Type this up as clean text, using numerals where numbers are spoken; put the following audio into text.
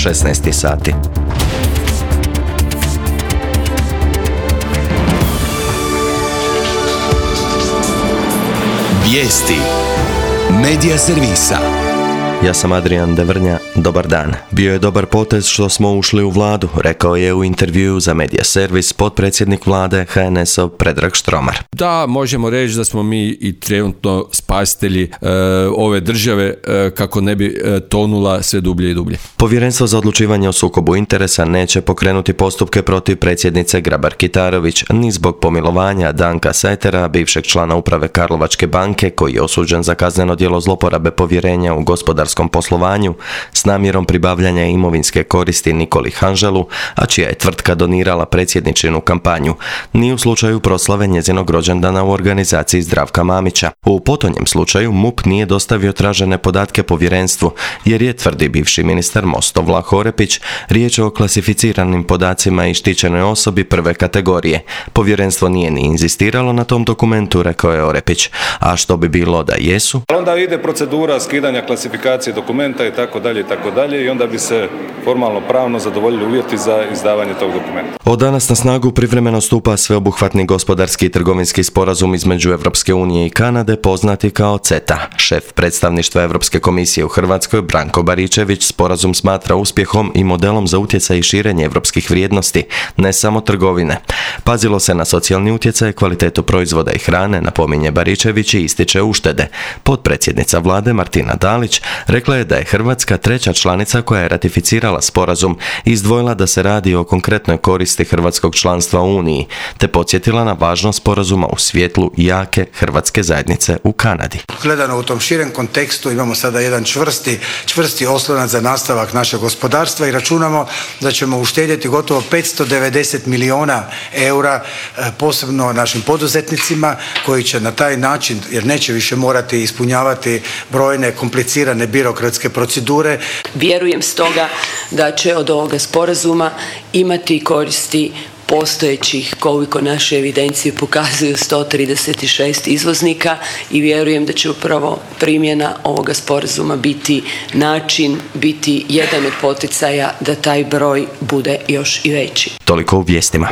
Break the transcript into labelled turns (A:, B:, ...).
A: 16 sati.
B: Vijesti Medija servisa.
A: Ja sam Adrian Devrnja, dobar dan. Bio je dobar potez što smo ušli u vladu, rekao je u intervjuu za Medija servis potpredsjednik vlade HNS-ov Predrag Štromar.
C: Da, možemo reći da smo mi i trenutno spasitelji ove države kako ne bi tonula sve dublje i dublje.
A: Povjerenstvo za odlučivanje o sukobu interesa neće pokrenuti postupke protiv predsjednice Grabar-Kitarović ni zbog pomilovanja Danka Sajtera, bivšeg člana uprave Karlovačke banke koji je osuđen za kazneno djelo zloporabe povjerenja u gospodarskom poslovanju s namjerom pribavljanja imovinske koristi Nikoli Hanželu, a čija je tvrtka donirala predsjedničinu kampanju, ni u slučaju proslave njezinog rođendana u organizaciji Zdravka Mamića. U potonjem slučaju MUP nije dostavio tražene podatke povjerenstvu, jer je, tvrdi bivši ministar Mosto Vlaho Orepić, riječ o klasificiranim podacima i štićenoj osobi prve kategorije. Povjerenstvo nije ni inzistiralo na tom dokumentu, rekao je Orepić. A što bi bilo da jesu?
D: Onda ide procedura skidanja klasifikacije dokumenta i tako dalje i onda bi se formalno pravno zadovoljili uvjeti za izdavanje tog dokumenta.
A: Od danas na snagu privremeno stupa sveobuhvatni gospodarski i trgovinski sporazum između Europske unije i Kanade, poznati kao CETA. Šef predstavništva Europske komisije u Hrvatskoj, Branko Baričević, sporazum smatra uspjehom i modelom za utjecaj i širenje europskih vrijednosti, ne samo trgovine. Pazilo se na socijalni utjecaj, kvalitetu proizvoda i hrane, napominje Baričević i ističe uštede. Potpredsjednica vlade Martina Dalić rekla je da je Hrvatska treća članica koja je ratificirala sporazum i izdvojila da se radi o konkretnoj koristi hrvatskog članstva u Uniji, te podsjetila na važnost sporazuma u svjetlu jake hrvatske zajednice u Kanadi.
E: Gledano u tom širem kontekstu imamo sada jedan čvrsti oslonac za nastavak našeg gospodarstva i računamo da ćemo uštedjeti gotovo 590 milijuna eura, posebno našim poduzetnicima koji će na taj način, jer neće više morati ispunjavati brojne komplicirane birokratske procedure.
F: Vjerujem stoga da će od ovoga sporazuma imati koristi postojećih, koliko naše evidencije pokazuju, 136 izvoznika i vjerujem da će upravo primjena ovoga sporazuma biti jedan od poticaja da taj broj bude još i veći.
A: Toliko u vijestima.